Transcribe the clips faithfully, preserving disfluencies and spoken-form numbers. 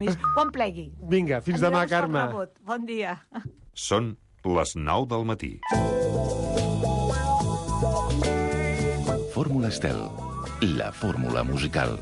Quan plegui. Vinga, fins demà, Carme. Bon dia. Són les nou del matí. Fórmula Estel, la fórmula musical.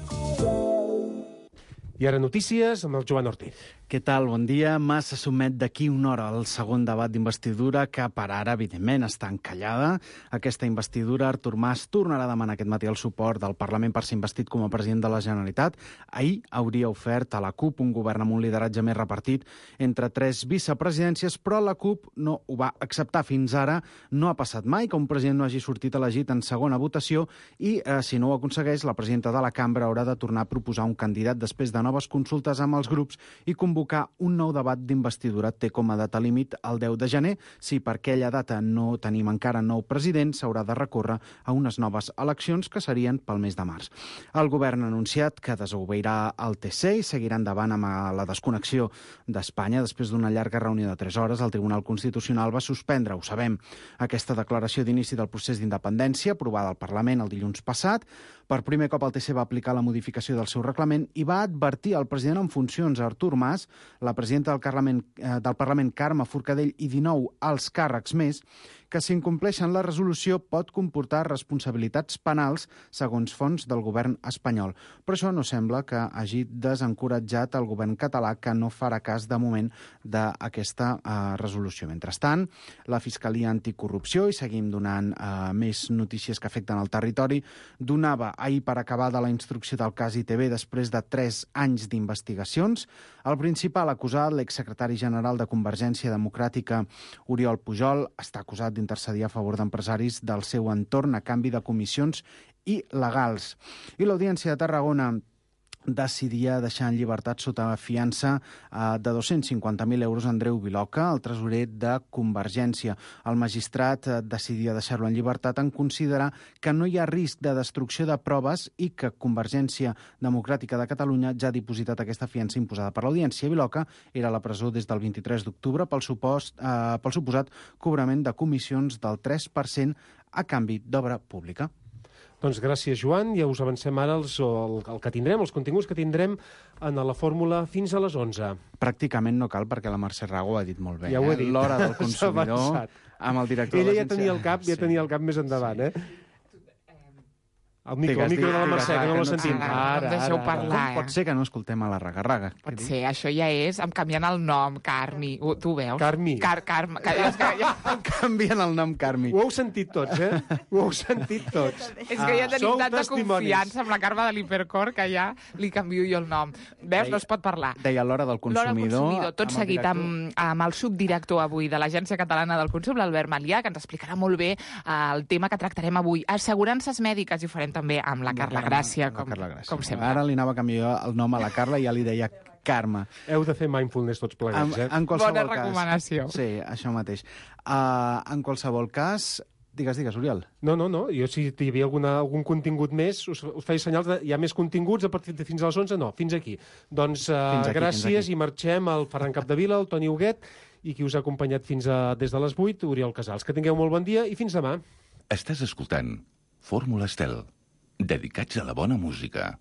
I ara notícies amb el Joan Ortiz. Què tal? Bon dia. Mas se sotmet d'aquí una hora al segon debat d'investidura que per ara, evidentment, està encallada. Aquesta investidura, Artur Mas tornarà a demanar aquest matí el suport del Parlament per ser investit com a president de la Generalitat. Ahir hauria ofert a la CUP un govern amb un lideratge més repartit entre tres vicepresidències, però la CUP no ho va acceptar. Fins ara no ha passat mai que un president no hagi sortit elegit en segona votació i, eh, si no ho aconsegueix, la presidenta de la cambra haurà de tornar a proposar un candidat després de noves consultes amb els grups i convocar un nou debat d'investidura. Té com a data límit el deu de gener. Si per aquella data no tenim encara nou president, s'haurà de recórrer a unes noves eleccions que serien pel mes de març. El govern ha anunciat que desobeirà el T C i seguirà endavant amb la desconnexió d'Espanya. Després d'una llarga reunió de tres hores, el Tribunal Constitucional va suspendre, ho sabem, aquesta declaració d'inici del procés d'independència aprovada al Parlament el dilluns passat. Per primer cop el T C va aplicar la modificació del seu reglament i va advertir al president en funcions, Artur Mas, la presidenta del Parlament, eh, del Parlament Carme Forcadell i dinou alts càrrecs més, que si incompleixen la resolució pot comportar responsabilitats penals segons fonts del govern espanyol. Però això no sembla que hagi desencoratjat el govern català, que no farà cas de moment d'aquesta eh, resolució. Mentrestant, la Fiscalia Anticorrupció, i seguim donant eh, més notícies que afecten el territori, donava ahir per acabada la instrucció del cas I T B després de tres anys d'investigacions. El principal acusat, l'exsecretari general de Convergència Democràtica, Oriol Pujol, està acusat d'intercedir a favor d'empresaris del seu entorn a canvi de comissions il·legals. I l'Audiència de Tarragona decidia deixar en llibertat sota fiança eh, de dos-cents cinquanta mil euros Andreu Viloca, el tresorer de Convergència. El magistrat eh, decidia deixar-lo en llibertat en considerar que no hi ha risc de destrucció de proves i que Convergència Democràtica de Catalunya ja ha dipositat aquesta fiança imposada per l'Audiència. Viloca era a la presó des del vint-i-tres d'octubre pel, supost, eh, pel suposat cobrament de comissions del tres per cent a canvi d'obra pública. Doncs gràcies, Joan. Ja us avancem ara els, el, el que tindrem, els continguts que tindrem en la fórmula fins a les onze. Pràcticament no cal, perquè la Mercè Rago ho ha dit molt bé. Ja ho he dit. Eh? L'hora del consumidor amb el director Ella de ja l'agència. tenia el cap, ja Sí. tenia el cap més endavant, Sí. eh? El micro, Digues, el micro de la digues, Mercè, que no que l'ha no- sentit. Ara, no em deixeu parlar. Com pot ser que no escoltem a la raga-raga? Pot ser, això ja és, em canviant el nom, Carmi. Ho, tu ho veus? Carmi. Car, Carme. Que, és, que, ja, Canvien el nom, Carmi. Ho heu sentit tots, eh? Ho heu sentit tots. és que ja tenim Sou tanta testimonis. confiança amb la Carme de l'Hipercor que ja li canvio jo el nom. Veus? No es pot parlar. Deia l'hora del L'hora del consumidor. consumidor, tot amb el seguit director. amb, amb el subdirector avui de l'Agència Catalana del Consum, l'Albert Malià, que ens explicarà molt bé eh, el tema que tractarem avui. Assegurances mèdiques, i ho farem també amb la Carla Gràcia, com, Carla Gràcia. com sempre. Ara li anava a canviar el nom a la Carla i ja li deia Carme. Heu de fer mindfulness tots En, plegats, eh? en qualsevol Bona cas, recomanació. Sí, això mateix. Uh, en qualsevol cas... Digues, digues, Oriol. No, no, no. Jo, si hi havia alguna, algun contingut més, us, us feia senyals de hi ha més continguts a partir de fins a les onze? No, fins aquí. Doncs uh, Fins aquí, gràcies fins aquí. i marxem al Ferran Capdevila, el Toni Huguet, i qui us ha acompanyat fins a, des de les vuit, Oriol Casals. Que tingueu molt bon dia i fins demà. Estàs escoltant Fórmula Estel, dedicats a la bona música.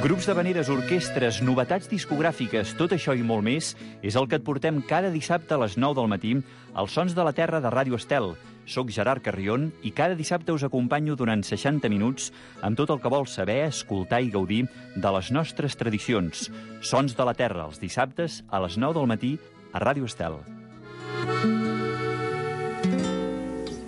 Grups d'havaneres, orquestres, novetats discogràfiques, tot això i molt més és el que et portem cada dissabte a les nou del matí als Sons de la Terra de Ràdio Estel. Soc Gerard Carrion i cada dissabte us acompanyo durant seixanta minuts amb tot el que vols saber, escoltar i gaudir de les nostres tradicions. Sons de la Terra, els dissabtes a les nou del matí a Ràdio Estel.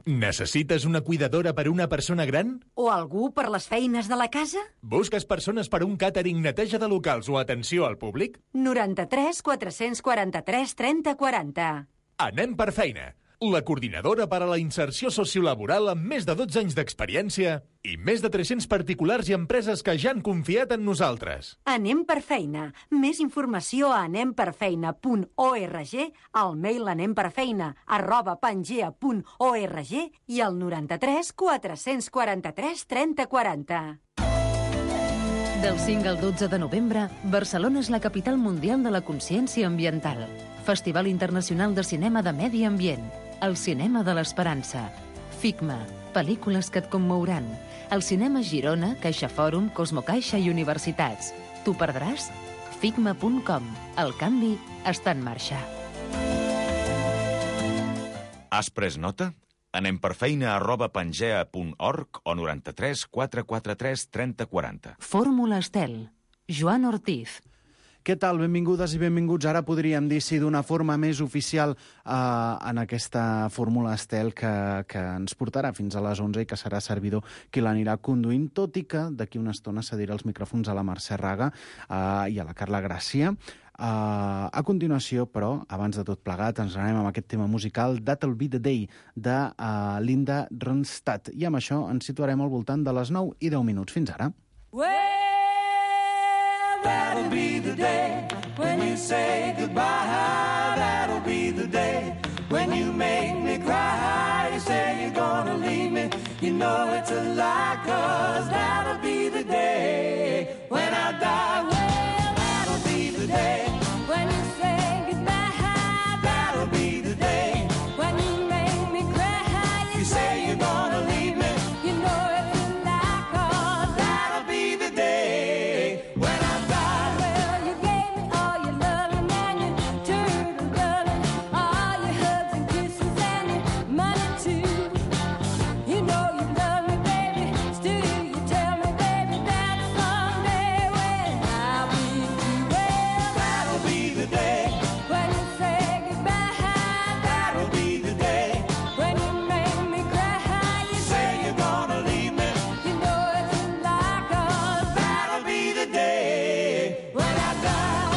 Necessites una cuidadora per una persona gran? O algú per les feines de la casa? Busques persones per un càtering, neteja de locals o atenció al públic? noranta-tres quatre-cents quaranta-tres trenta quaranta. Anem per feina. La coordinadora per a la inserció sociolaboral amb més de dotze anys d'experiència i més de tres-cents particulars i empreses que ja han confiat en nosaltres. Anem per feina. Més informació a anemperfeina punt org, al mail anemperfeina arroba pangea punt org i al noranta-tres quatre-cents quaranta-tres trenta quaranta. Del cinc al dotze de novembre, Barcelona és la capital mundial de la consciència ambiental. Festival Internacional de Cinema de Medi Ambient. El cinema de l'esperança. FICMA. Pel·lícules que et commouran. El cinema Girona, Caixa Fòrum, Cosmocaixa i Universitats. T'ho perdràs? Figma punt com. El canvi està en marxa. Has pres nota? Anem per feina arroba pangea punt org o noranta-tres quatre quatre tres trenta quaranta. Fórmula Estel. Joan Ortiz. Què tal? Benvingudes i benvinguts. Ara podríem dir, sí, d'una forma més oficial eh, en aquesta Fórmula Estel que, que ens portarà fins a les onze i que serà servidor qui l'anirà conduint, tot i que d'aquí una estona cedirà els micròfons a la Mercè Raga eh, i a la Carla Gràcia. Uh, a continuació, però, abans de tot plegat, ens anem amb aquest tema musical That'll Be The Day, de uh, Linda Ronstadt. I amb això ens situarem al voltant de les nou i deu minuts. Fins ara. Well, that'll be the day when you say goodbye. That'll be the day when you make me cry. You say you're gonna leave me, you know it's a lie, 'cause that'll be the day when I die. Well, that'll be the day when you say goodbye. That'll be the day when you make me cry. You say you're gonna leave me, you know it's a lie, 'cause that'll be the day when I die. Well, you gave me all your loving and you turned to loving, all your hugs and kisses and your money too. You know you love me, baby, still you tell me, baby, that someday when I'll be through. Well, that'll be the day when you say goodbye. That'll be the day when you make me cry. You say you're gonna leave me, you know it's a lie, 'cause that'll be the day when I die.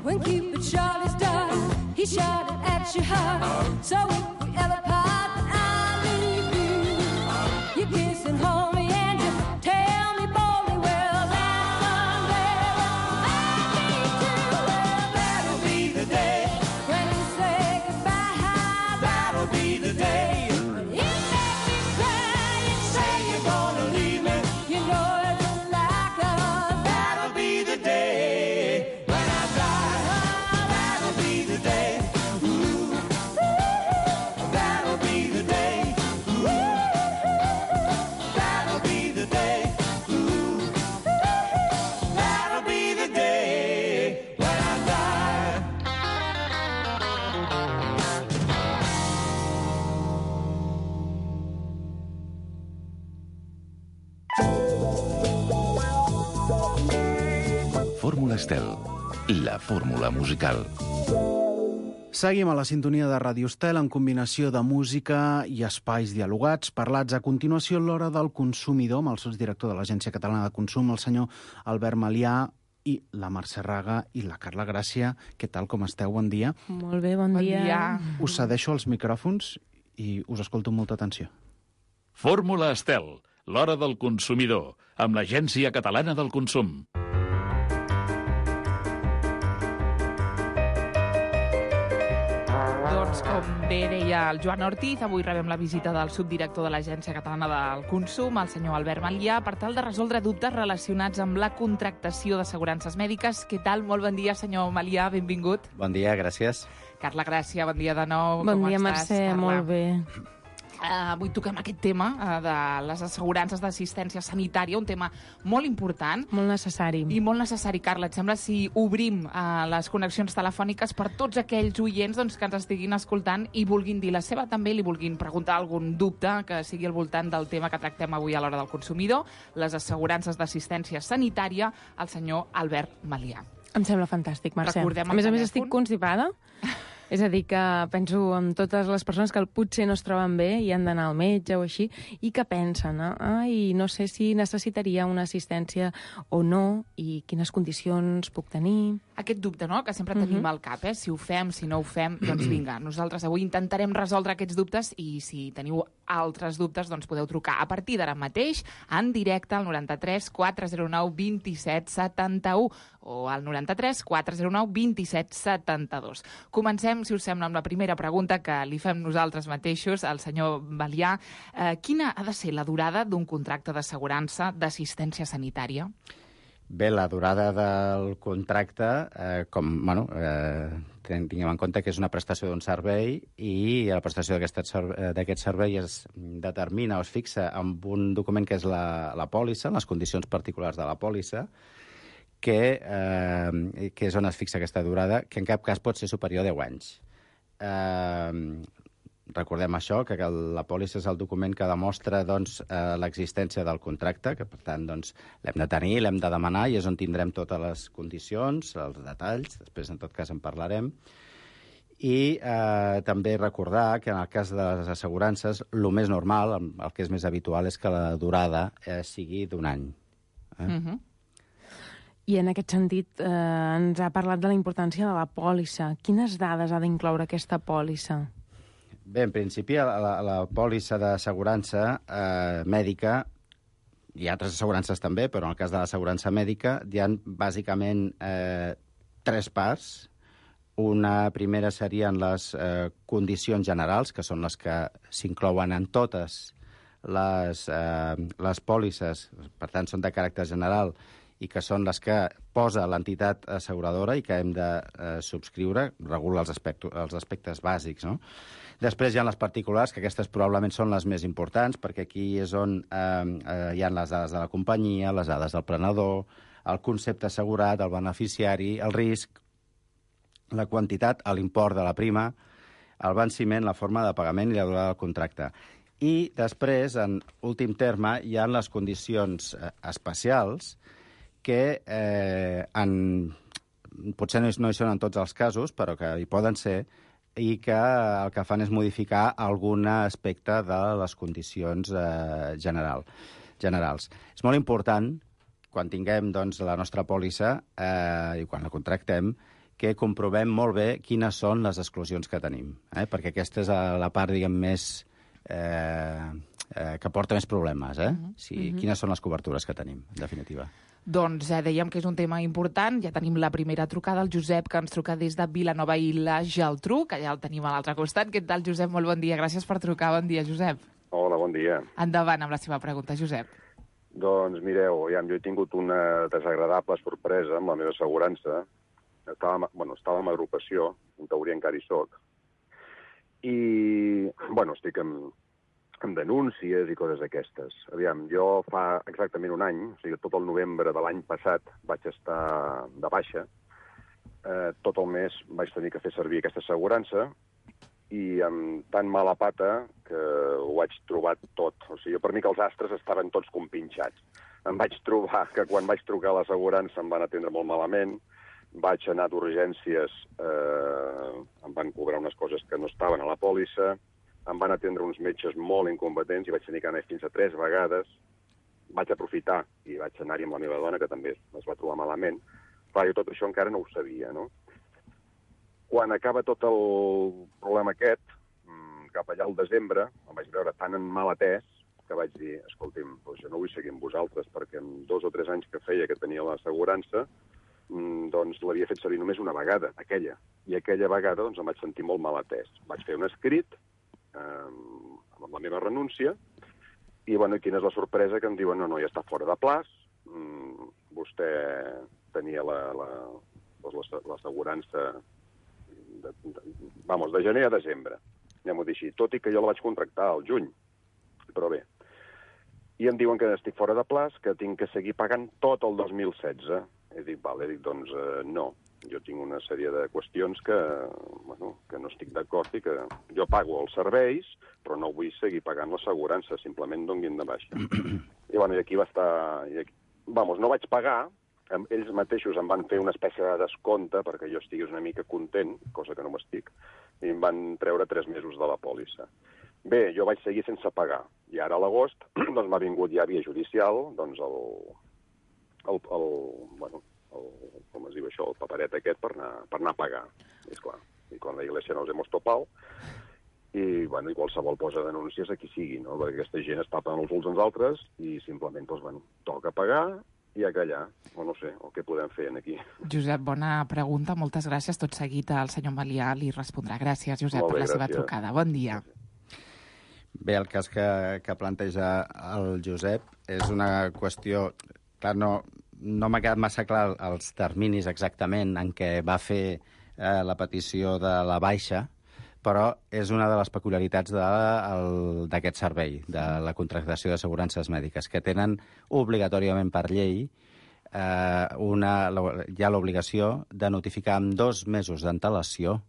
When Cupid shot his dart, he shot it at your heart. So if we ever part, I'll leave you. You kiss and hold me and you tell me boldly, well, that someday I'll be true. Well, that'll be the day when you say goodbye. That'll be the day when you make me cry. You say you're gonna leave me, you know it's a lie, 'cause that'll be the day when I die. That'll be the day. Ooh. That'll be the day. Ooh. That'll be the day. Ooh. That'll be the day when I die. Fórmula Estel, la fórmula musical. Seguim a la sintonia de Ràdio Estel en combinació de música i espais dialogats, parlats a continuació a l'hora del consumidor, amb el sotsdirector de l'Agència Catalana de Consum, el senyor Albert Malià, i la Mercè Raga i la Carla Gràcia. Què tal, com esteu? Bon dia. Molt bé, bon, Bon dia. dia. Us cedeixo els micròfons i us escolto amb molta atenció. Fórmula Estel, l'hora del consumidor, amb l'Agència Catalana del Consum. Doncs, com bé deia el Joan Ortiz, avui rebem la visita del subdirector de l'Agència Catalana del Consum, el senyor Albert Malià, per tal de resoldre dubtes relacionats amb la contractació d'assegurances mèdiques. Què tal? Molt bon dia, senyor Malià, benvingut. Bon dia, gràcies. Carla Gràcia, bon dia de nou. Bon Com dia, estàs, Mercè, Carla? molt bé. Uh, avui toquem aquest tema uh, de les assegurances d'assistència sanitària, un tema molt important. Molt necessari. I molt necessari, Carla. Et sembla si obrim uh, les connexions telefòniques per tots aquells oients doncs, que ens estiguin escoltant i vulguin dir la seva també, li vulguin preguntar algun dubte que sigui al voltant del tema que tractem avui a l'hora del consumidor, les assegurances d'assistència sanitària, el senyor Albert Malià. Em sembla fantàstic, Mercè. Recordem A més a el més, estic telèfon. constipada. És a dir, que penso en totes les persones que potser no es troben bé i han d'anar al metge o així, i que pensen, eh? ai, no sé si necessitaria una assistència o no, i quines condicions puc tenir. Aquest dubte, no?, que sempre tenim Mhm. al cap, eh? Si ho fem, si no ho fem, doncs vinga, nosaltres avui intentarem resoldre aquests dubtes i si teniu altres dubtes, doncs podeu trucar a partir d'ara mateix en directe al noranta-tres quatre zero nou vint-i-set setanta-u o al noranta-tres quatre zero nou vint-i-set setanta-dos. Comencem, si us sembla, amb la primera pregunta que li fem nosaltres mateixos al senyor Balià. Eh, quina ha de ser la durada d'un contracte d'assegurança d'assistència sanitària? Bé, la durada del contracte, eh, com, bueno, eh, tinguem en compte que és una prestació d'un servei i la prestació d'aquest servei es determina o es fixa amb un document que és la, la pòlissa, les condicions particulars de la pòlissa, que, eh, que és on es fixa aquesta durada, que en cap cas pot ser superior a deu anys. Eh, recordem això, que la pòlissa és el document que demostra doncs, eh, l'existència del contracte, que per tant doncs, l'hem de tenir, l'hem de demanar, i és on tindrem totes les condicions, els detalls, després en tot cas en parlarem. I eh, també recordar que en el cas de les assegurances, el més normal, el que és més habitual, és que la durada eh, sigui d'un any. Eh? Uh-huh. I en aquest sentit eh, ens ha parlat de la importància de la pòlissa. Quines dades ha d'incloure aquesta pòlissa? Bé, en principi, la, la pòlissa d'assegurança eh, mèdica, hi ha altres assegurances també, però en el cas de l'assegurança mèdica hi ha bàsicament eh, tres parts. Una primera serien les eh, condicions generals, que són les que s'inclouen en totes les, eh, les pòlisses, per tant, són de caràcter general, i que són les que posa l'entitat asseguradora i que hem de eh, subscriure, regula els aspectes, els aspectes bàsics, no? Després hi ha les particulars, que aquestes probablement són les més importants, perquè aquí és on eh, eh, hi ha les dades de la companyia, les dades del prenedor, el concepte assegurat, el beneficiari, el risc, la quantitat, l'import de la prima, el venciment, la forma de pagament i la durada del contracte. I després, en últim terme, hi ha les condicions eh, especials, que eh, en, potser no hi, no hi són en tots els casos, però que hi poden ser, i que el que fan és modificar algun aspecte de les condicions eh, general, generals. És molt important, quan tinguem doncs, la nostra pòlissa eh, i quan la contractem, que comprovem molt bé quines són les exclusions que tenim, eh? Perquè aquesta és la part, diguem, més... Eh, eh, que porta més problemes, eh? Uh-huh. Si, uh-huh. Quines són les cobertures que tenim, en definitiva. Doncs eh, dèiem que és un tema important. Ja tenim la primera trucada, el Josep, que ens truca des de Vilanova i la Geltrú, que ja el tenim a l'altre costat. Què tal, Josep? Molt bon dia. Gràcies per trucar. Bon dia, Josep. Hola, bon dia. Endavant amb la seva pregunta, Josep. Doncs mireu, ja, jo he tingut una desagradable sorpresa amb la meva assegurança. Estava, bueno, estava en agrupació, en teoria encara hi soc, i, bueno, estic amb, amb denúncies i coses d'aquestes. Aviam, jo fa exactament un any, o sigui, tot el novembre de l'any passat vaig estar de baixa. Eh, tot el mes vaig tenir que fer servir aquesta assegurança i amb tan mala pata que ho vaig trobar tot. O sigui, per mi que els astres estaven tots compinxats. Em vaig trobar que quan vaig trucar a l'assegurança em van atendre molt malament, vaig anar d'urgències, eh, em van cobrar unes coses que no estaven a la pòlissa, em van atendre uns metges molt incompetents i vaig tenir que anar fins a tres vegades. Vaig aprofitar i vaig anar-hi amb la meva dona, que també es va trobar malament. Clar, jo tot això encara no ho sabia, no? Quan acaba tot el problema aquest, cap allà al desembre, em vaig veure tan en mal atès que vaig dir, escolti'm, doncs jo no vull seguir amb vosaltres perquè en dos o tres anys que feia que tenia l'assegurança, doncs l'havia fet servir només una vegada, aquella. I aquella vegada doncs, em vaig sentir molt mal atès. Vaig fer un escrit eh, amb la meva renúncia i, bueno, quina és la sorpresa? Que em diuen, no, no, ja està fora de plaç, mm, vostè tenia la, la, doncs, l'assegurança de, de, vamos, de gener a desembre, anem-ho dir així, tot i que jo la vaig contractar al juny, però bé. I em diuen que estic fora de plaç, que tinc que seguir pagant tot el dos mil setze. He dit, vale, he dit, doncs eh, no. Jo tinc una sèrie de qüestions que, bueno, que no estic d'acord i que jo pago els serveis, però no vull seguir pagant l'assegurança, simplement donguin de baixa. I, bueno, i aquí va estar... I aquí, vamos, no vaig pagar, ells mateixos em van fer una espècie de descompte perquè jo estigués una mica content, cosa que no m'estic, i em van treure tres mesos de la pòlissa. Bé, jo vaig seguir sense pagar, i ara a l'agost doncs m'ha vingut ja via judicial doncs el, el, el, bueno, el, com es diu això, el paperet aquest per anar, per anar a pagar, és clar. I quan la Iglesia nos hemos topado. i, bueno, i qualsevol posa denúncies a qui sigui, no? Perquè aquesta gent es tapen els ulls als altres i simplement, doncs, bueno, toca pagar i a callar, o no sé, o què podem fer aquí. Josep, bona pregunta, moltes gràcies. Tot seguit el senyor Malià li respondrà. Gràcies, Josep, Molt bé, per la seva gràcies. trucada. Bon dia. Bé, el cas que, que planteja el Josep és una qüestió... Clar, no, no m'ha quedat massa clar els terminis exactament en què va fer eh, la petició de la baixa, però és una de les peculiaritats d'aquest servei, de la contractació d'assegurances mèdiques, que tenen obligatòriament per llei eh, una, hi ha l'obligació de notificar amb dos mesos d'antelació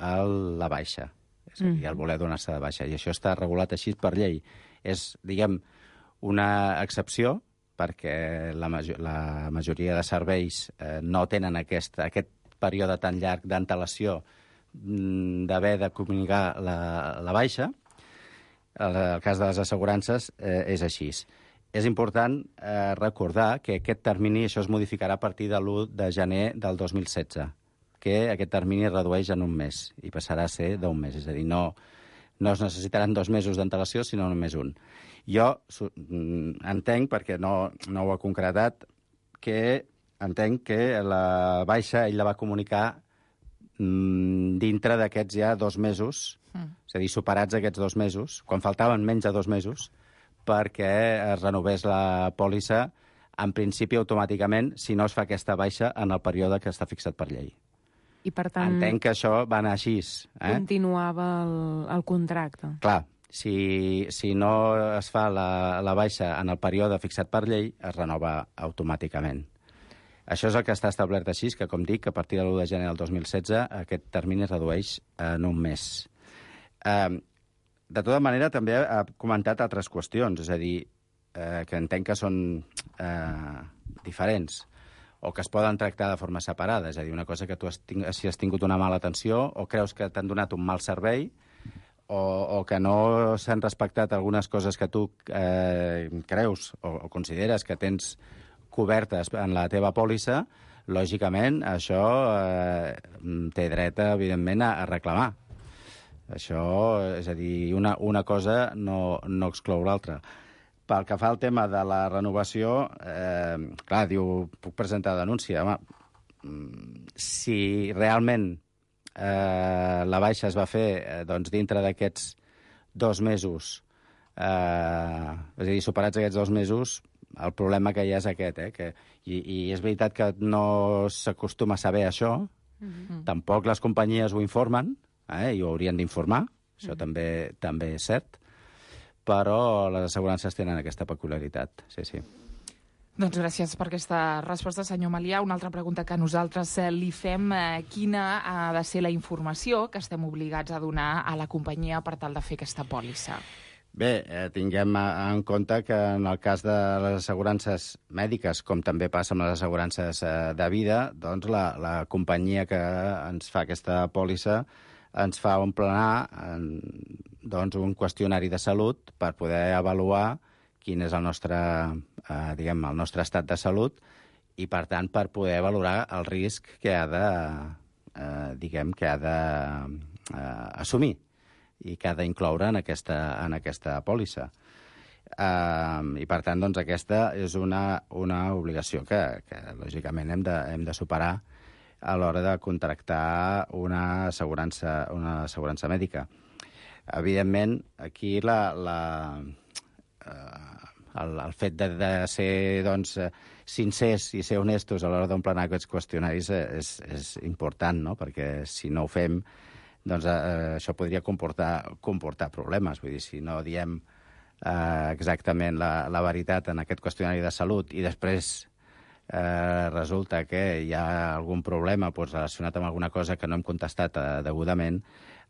la baixa, és a dir, el voler donar-se de baixa, i això està regulat així per llei. És, diguem, una excepció, perquè la, major, la majoria de serveis eh, no tenen aquest, aquest període tan llarg d'antelació d'haver de comunicar la, la baixa. El, el cas de les assegurances eh, és així. És important eh, recordar que aquest termini, això es modificarà a partir de l'u de gener del dos mil setze, que aquest termini es redueix en un mes i passarà a ser d'un mes. És a dir, no, no es necessitaran dos mesos d'antelació, sinó només un. Jo entenc, perquè no, no ho ha concretat, que entenc que la baixa ell la va comunicar dintre d'aquests ja dos mesos, mm. és a dir, superats aquests dos mesos, quan faltaven menys de dos mesos, perquè es renovés la pòlissa, en principi automàticament, si no es fa aquesta baixa en el període que està fixat per llei. I per tant... Entenc que això va anar així. Eh? Continuava el, el contracte. Clar, si, si no es fa la, la baixa en el període fixat per llei, es renova automàticament. Això és el que està establert així, que, com dic, a partir de l'u de gener del dos mil setze aquest termini es redueix en un mes. Eh, de tota manera, també ha comentat altres qüestions, és a dir, eh, que entenc que són eh, diferents o que es poden tractar de forma separada. És a dir, una cosa que tu has ting si has tingut una mala atenció o creus que t'han donat un mal servei o, o que no s'han respectat algunes coses que tu eh, creus o, o consideres que tens cobertes en la teva pòlissa, lògicament això eh, té dret, evidentment, a, a reclamar. Això, és a dir, una, una cosa no, no exclou l'altra. Pel que fa al tema de la renovació, eh, clar, diu, puc presentar denúncia. Home, si realment eh, la baixa es va fer eh, doncs, dintre d'aquests dos mesos, eh, és a dir, superats aquests dos mesos, el problema que hi ha és aquest, eh? Que, i, i és veritat que no s'acostuma a saber això, mm-hmm. Tampoc les companyies ho informen, eh? I ho haurien d'informar, això mm-hmm. també, també és cert, però les assegurances tenen aquesta peculiaritat, sí, sí. Doncs gràcies per aquesta resposta, senyor Malià. Una altra pregunta que nosaltres eh, li fem, eh, quina ha de ser la informació que estem obligats a donar a la companyia per tal de fer aquesta pòlissa? Bé, eh, tinguem en compte que en el cas de les assegurances mèdiques, com també passa amb les assegurances eh, de vida, doncs la, la companyia que ens fa aquesta pòlissa ens fa emplenar en, doncs, un qüestionari de salut per poder avaluar quin és el nostre, eh, diguem, el nostre estat de salut i, per tant, per poder valorar el risc que ha de, eh, diguem, que ha de eh, assumir i que ha d'incloure en aquesta, en aquesta pòlissa. Uh, I, per tant, doncs, aquesta és una, una obligació que, que lògicament, hem de, hem de superar a l'hora de contractar una assegurança, una assegurança mèdica. Evidentment, aquí la, la, uh, el, el fet de, de ser doncs, sincers i ser honestos a l'hora d'emplenar aquests qüestionaris és, és important, no? Perquè si no ho fem, doncs eh, això podria comportar, comportar problemes. Vull dir, si no diem eh, exactament la, la veritat en aquest qüestionari de salut i després eh, resulta que hi ha algun problema doncs, relacionat amb alguna cosa que no hem contestat eh, degudament,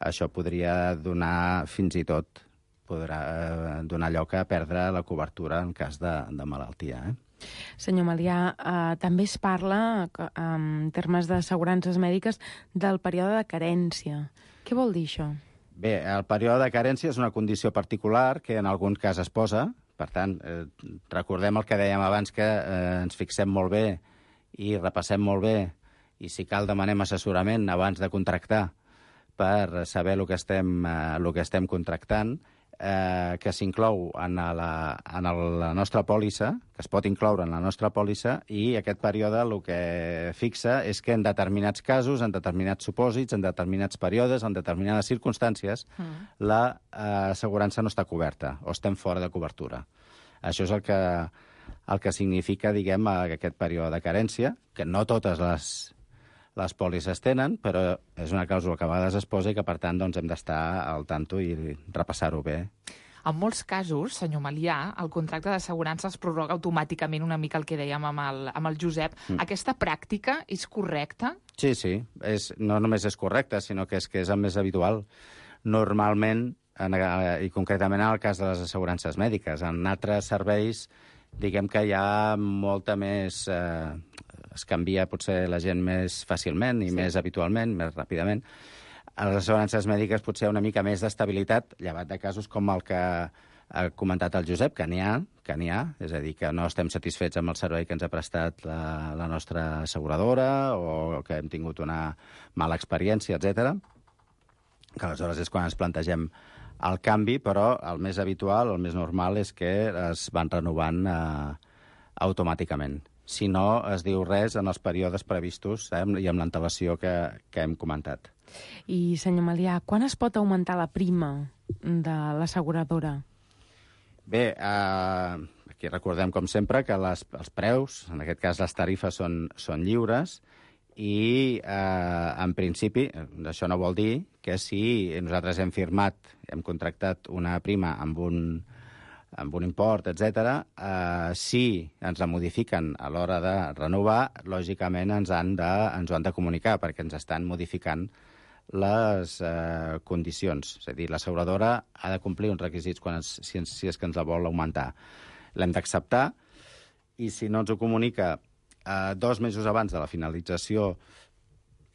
això podria donar fins i tot podrà eh, donar lloc a perdre la cobertura en cas de, de malaltia. Eh? Senyor Malià, eh, també es parla, eh, en termes d'assegurances mèdiques, del període de carència. Què vol dir això? Bé, el període de carència és una condició particular que en algun cas es posa. Per tant, eh, recordem el que dèiem abans, que eh, ens fixem molt bé i repassem molt bé i, si cal, demanem assessorament abans de contractar per saber el que estem, eh, el que estem contractant, eh, que s'inclou en, la, en el, la nostra pòlissa, que es pot incloure en la nostra pòlissa, i aquest període el que fixa és que en determinats casos, en determinats supòsits, en determinats períodes, en determinades circumstàncies, mm. la eh, assegurança no està coberta o estem fora de cobertura. Això és el que, el que significa, diguem, aquest període de carència, que no totes les les pòlisses tenen, però és una clàusula que a vegades es posa i que, per tant, doncs, hem d'estar al tanto i repassar-ho bé. En molts casos, senyor Melià, el contracte d'assegurança es prorroga automàticament, una mica el que dèiem amb el, amb el Josep. Mm. Aquesta pràctica és correcta? Sí, sí. És, no només és correcta, sinó que és, que és el més habitual. Normalment, en, i concretament en el cas de les assegurances mèdiques, en altres serveis, diguem que hi ha molta més... Eh, es canvia potser la gent més fàcilment i sí. més habitualment, més ràpidament. A les assegurances mèdiques potser una mica més d'estabilitat, llevat de casos com el que ha comentat el Josep, que n'hi ha, que n'hi ha, és a dir, que no estem satisfets amb el servei que ens ha prestat la, la nostra asseguradora o que hem tingut una mala experiència, etcètera. Que aleshores és quan ens plantegem el canvi, però el més habitual, el més normal, és que es van renovant eh, automàticament. Si no es diu res en els períodes previstos eh, i amb l'antelació que, que hem comentat. I, senyor Melià, quan es pot augmentar la prima de l'asseguradora? Bé, eh, aquí recordem, com sempre, que les, els preus, en aquest cas les tarifes, són, són lliures i, eh, en principi, això no vol dir que si nosaltres hem firmat, hem contractat una prima amb un... amb un import, etcètera, eh, si ens la modifiquen a l'hora de renovar, lògicament ens, han de, ens ho han de comunicar, perquè ens estan modificant les eh, condicions. És a dir, l'asseguradora ha de complir uns requisits quan es, si, si és que ens la vol augmentar. L'hem d'acceptar, i si no ens ho comunica eh, dos mesos abans de la finalització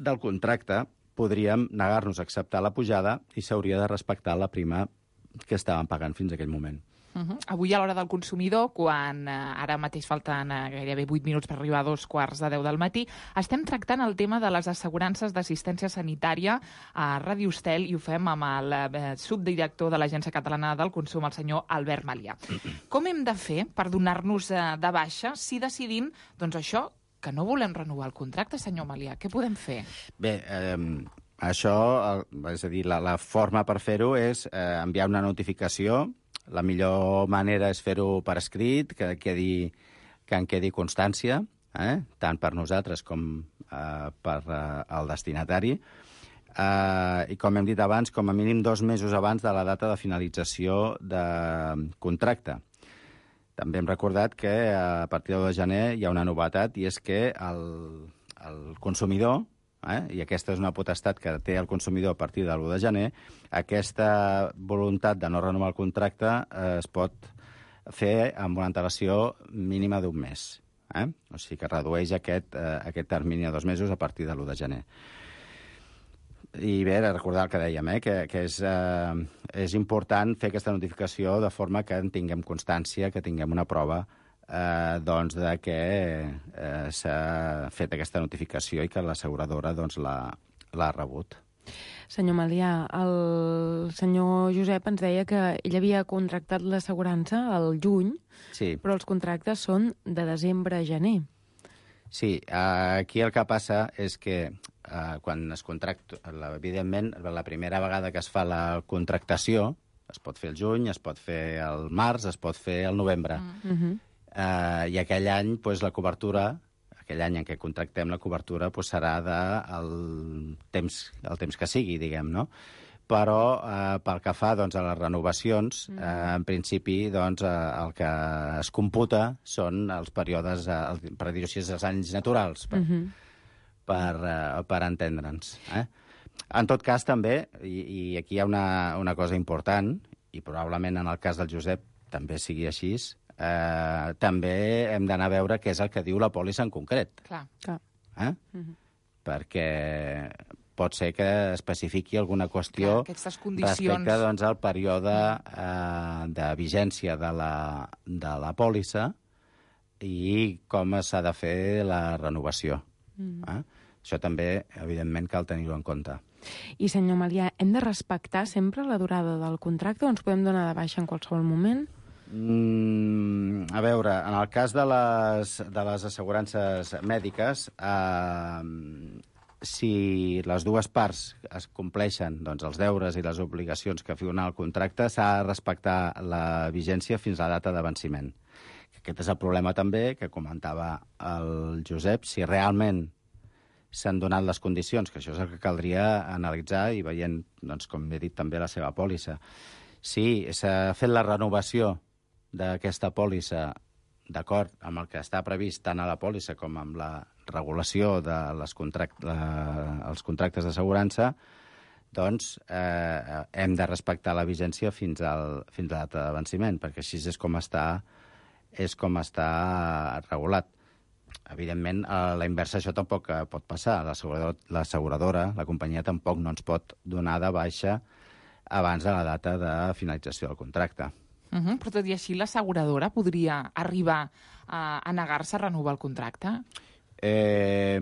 del contracte, podríem negar-nos a acceptar la pujada i s'hauria de respectar la prima que estàvem pagant fins a aquell moment. Uh -huh. Avui, a l'hora del consumidor, quan eh, ara mateix falten eh, gairebé vuit minuts per arribar a dos quarts de deu del matí, estem tractant el tema de les assegurances d'assistència sanitària a Ràdio Estel i ho fem amb el eh, subdirector de l'Agència Catalana del Consum, el senyor Albert Melià. Com hem de fer per donar-nos eh, de baixa si decidim, doncs això, que no volem renovar el contracte, senyor Melià? Què podem fer? Bé, eh, això, és a dir, la, la forma per fer-ho és eh, enviar una notificació. La millor manera és fer-ho per escrit, que, quedi, que en quedi constància, eh? tant per nosaltres com eh, per eh, el destinatari. Eh, I com hem dit abans, com a mínim dos mesos abans de la data de finalització de contracte. També hem recordat que a partir del de gener hi ha una novetat, i és que el, el consumidor, Eh? i aquesta és una potestat que té el consumidor a partir de l'u de gener, aquesta voluntat de no renovar el contracte eh, es pot fer amb una antelació mínima d'un mes. Eh? O sigui que redueix aquest, eh, aquest termini a dos mesos a partir de l'u de gener. I bé, recordar el que dèiem, eh? que, que és, eh, és important fer aquesta notificació de forma que en tinguem constància, que tinguem una prova Eh, doncs de que eh, s'ha fet aquesta notificació i que l'asseguradora doncs, l'ha rebut. Senyor Melià, el senyor Josep ens deia que ell havia contractat l'assegurança al juny, sí. però els contractes són de desembre a gener. Sí, eh, aquí el que passa és que eh, quan es contracta, evidentment, la primera vegada que es fa la contractació, es pot fer el juny, es pot fer el març, es pot fer el novembre. Mm. Uh-huh. Uh, I aquell any, pues, la cobertura, aquell any en què contractem la cobertura, pues, serà de el temps, el temps que sigui, diguem, no? Però uh, pel que fa doncs, a les renovacions, mm. uh, en principi doncs, uh, el que es computa són els períodes, uh, per dir-ho així, els anys naturals, per, mm-hmm. per, uh, per entendre'ns. Eh? En tot cas, també, i, i aquí hi ha una, una cosa important, i probablement en el cas del Josep també sigui així, Eh, també hem d'anar a veure què és el que diu la pòlissa en concret. Clar. Clar. Eh? Mm-hmm. Perquè pot ser que especifiqui alguna qüestió respecte doncs, al període eh, de vigència de la, de la pòlissa i com s'ha de fer la renovació. Mm. Eh? Això també, evidentment, cal tenir-ho en compte. I, senyor Malià, hem de respectar sempre la durada del contracte o ens podem donar de baixa en qualsevol moment? Mm, a veure, en el cas de les, de les assegurances mèdiques, eh, si les dues parts es compleixen doncs, els deures i les obligacions que figura el contracte, s'ha de respectar la vigència fins a la data de venciment. Aquest és el problema també que comentava el Josep, si realment s'han donat les condicions, que això és el que caldria analitzar i veient, doncs, com he dit també, la seva pòlissa. Si s'ha fet la renovació d'aquesta pòlissa d'acord amb el que està previst tant a la pòlissa com amb la regulació de les contract la, els contractes d'assegurança, doncs eh, hem de respectar la vigència fins, al, fins a la data de venciment, perquè així és com està, és com està regulat. Evidentment, a la inversa això tampoc pot passar. L'asseguradora, la companyia, tampoc no ens pot donar de baixa abans de la data de finalització del contracte. Uh -huh, però tot i així l'asseguradora podria arribar a, a negar-se a renovar el contracte? Eh,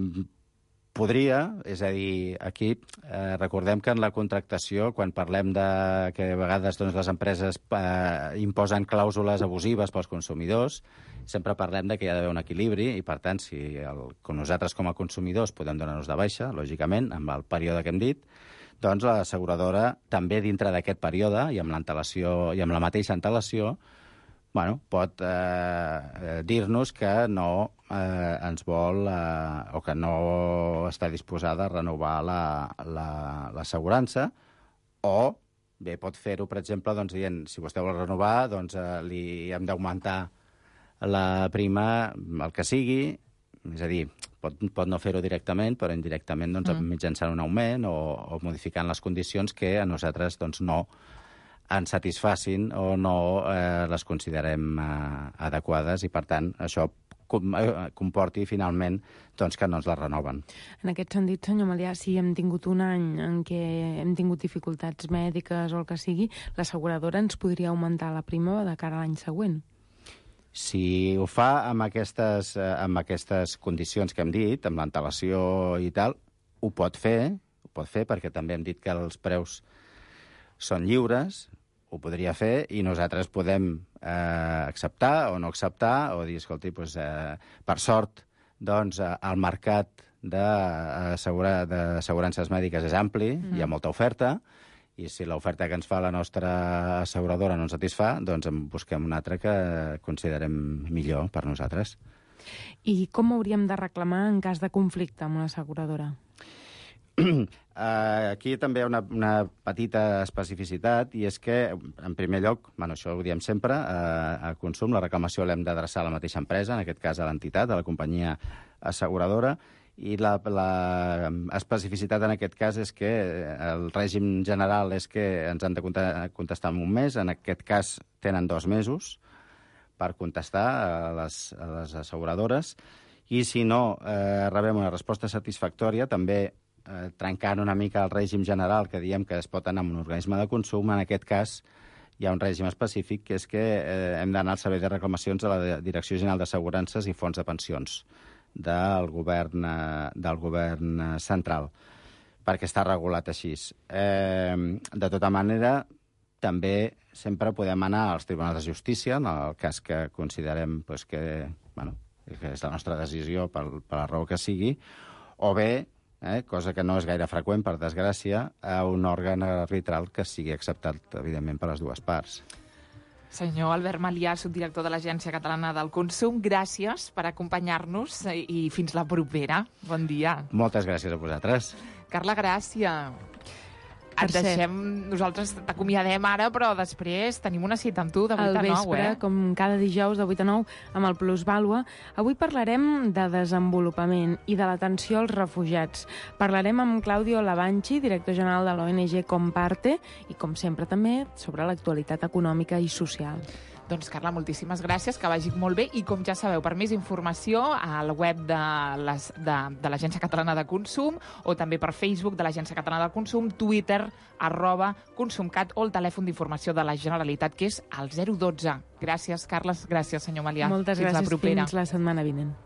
podria, és a dir, aquí eh, recordem que en la contractació, quan parlem de que a vegades doncs, les empreses eh, imposen clàusules abusives pels consumidors, sempre parlem de que hi ha d'haver un equilibri i, per tant, si el, nosaltres com a consumidors podem donar-nos de baixa, lògicament, amb el període que hem dit, doncs l'asseguradora també dintre d'aquest període i amb l'antelació i amb la mateixa antelació bueno, pot eh, dir-nos que no eh, ens vol eh, o que no està disposada a renovar l'assegurança la, la, o bé pot fer-ho, per exemple, doncs, dient si vostè vol renovar, doncs eh, li hem d'augmentar la prima, el que sigui, és a dir, pot, pot no fer-ho directament, però indirectament doncs, mm. mitjançant un augment o, o modificant les condicions que a nosaltres doncs, no ens satisfacin o no eh, les considerem eh, adequades i, per tant, això com, eh, comporti finalment doncs, que no ens la renoven. En aquest sentit, senyor Malià, si hem tingut un any en què hem tingut dificultats mèdiques o el que sigui, l'asseguradora ens podria augmentar la prima de cara a l'any següent? Si ho fa amb aquestes, eh, amb aquestes condicions que hem dit, amb l'antelació i tal, ho pot fer, ho pot fer perquè també hem dit que els preus són lliures, ho podria fer i nosaltres podem eh, acceptar o no acceptar o dir, escolti, doncs, eh, per sort, doncs, eh, el mercat d'assegurances mèdiques és ampli, mm. hi ha molta oferta, i si l'oferta que ens fa la nostra asseguradora no ens satisfà, doncs en busquem una altra que considerem millor per nosaltres. I com hauríem de reclamar en cas de conflicte amb l'asseguradora? Aquí també hi ha una, una petita especificitat, i és que, en primer lloc, bueno, això ho diem sempre, a consum la reclamació l'hem d'adreçar a la mateixa empresa, en aquest cas a l'entitat, a la companyia asseguradora, i la, la especificitat en aquest cas és que el règim general és que ens han de contestar en un mes, en aquest cas tenen dos mesos per contestar a les, a les asseguradores, i si no eh, rebem una resposta satisfactòria, també eh, trencant una mica el règim general que diem que es pot anar amb un organisme de consum, en aquest cas hi ha un règim específic, que és que eh, hem d'anar al servei de reclamacions a la Direcció General d'Assegurances i Fons de Pensions del govern, eh, del govern central, perquè està regulat així. Eh, de tota manera, també sempre podem anar als tribunals de justícia, en el cas que considerem pues, que, bueno, que és la nostra decisió per, per la raó que sigui, o bé, eh, cosa que no és gaire freqüent, per desgràcia, a un òrgan arbitral que sigui acceptat, evidentment, per les dues parts. Senyor Albert Malià, subdirector de l'Agència Catalana del Consum, gràcies per acompanyar-nos i fins la propera. Bon dia. Moltes gràcies a vosaltres. Carla Gràcia, et deixem, nosaltres t'acomiadem ara, però després tenim una cita amb tu de vuit a nou, eh? Al vespre, com cada dijous de vuit a nou, amb el Plusvàlua. Avui parlarem de desenvolupament i de l'atenció als refugiats. Parlarem amb Claudio Lavanchi, director general de l'O N G Comparte, i, com sempre, també sobre l'actualitat econòmica i social. Doncs, Carla, moltíssimes gràcies, que vagi molt bé. I, com ja sabeu, per més informació, al web de l'Agència Catalana de Consum, o també per Facebook de l'Agència Catalana de Consum, Twitter, arroba Consumcat, o el telèfon d'informació de la Generalitat, que és el zero dotze. Gràcies, Carles. Gràcies, senyor Malià. Moltes gràcies. Fins la setmana vinent.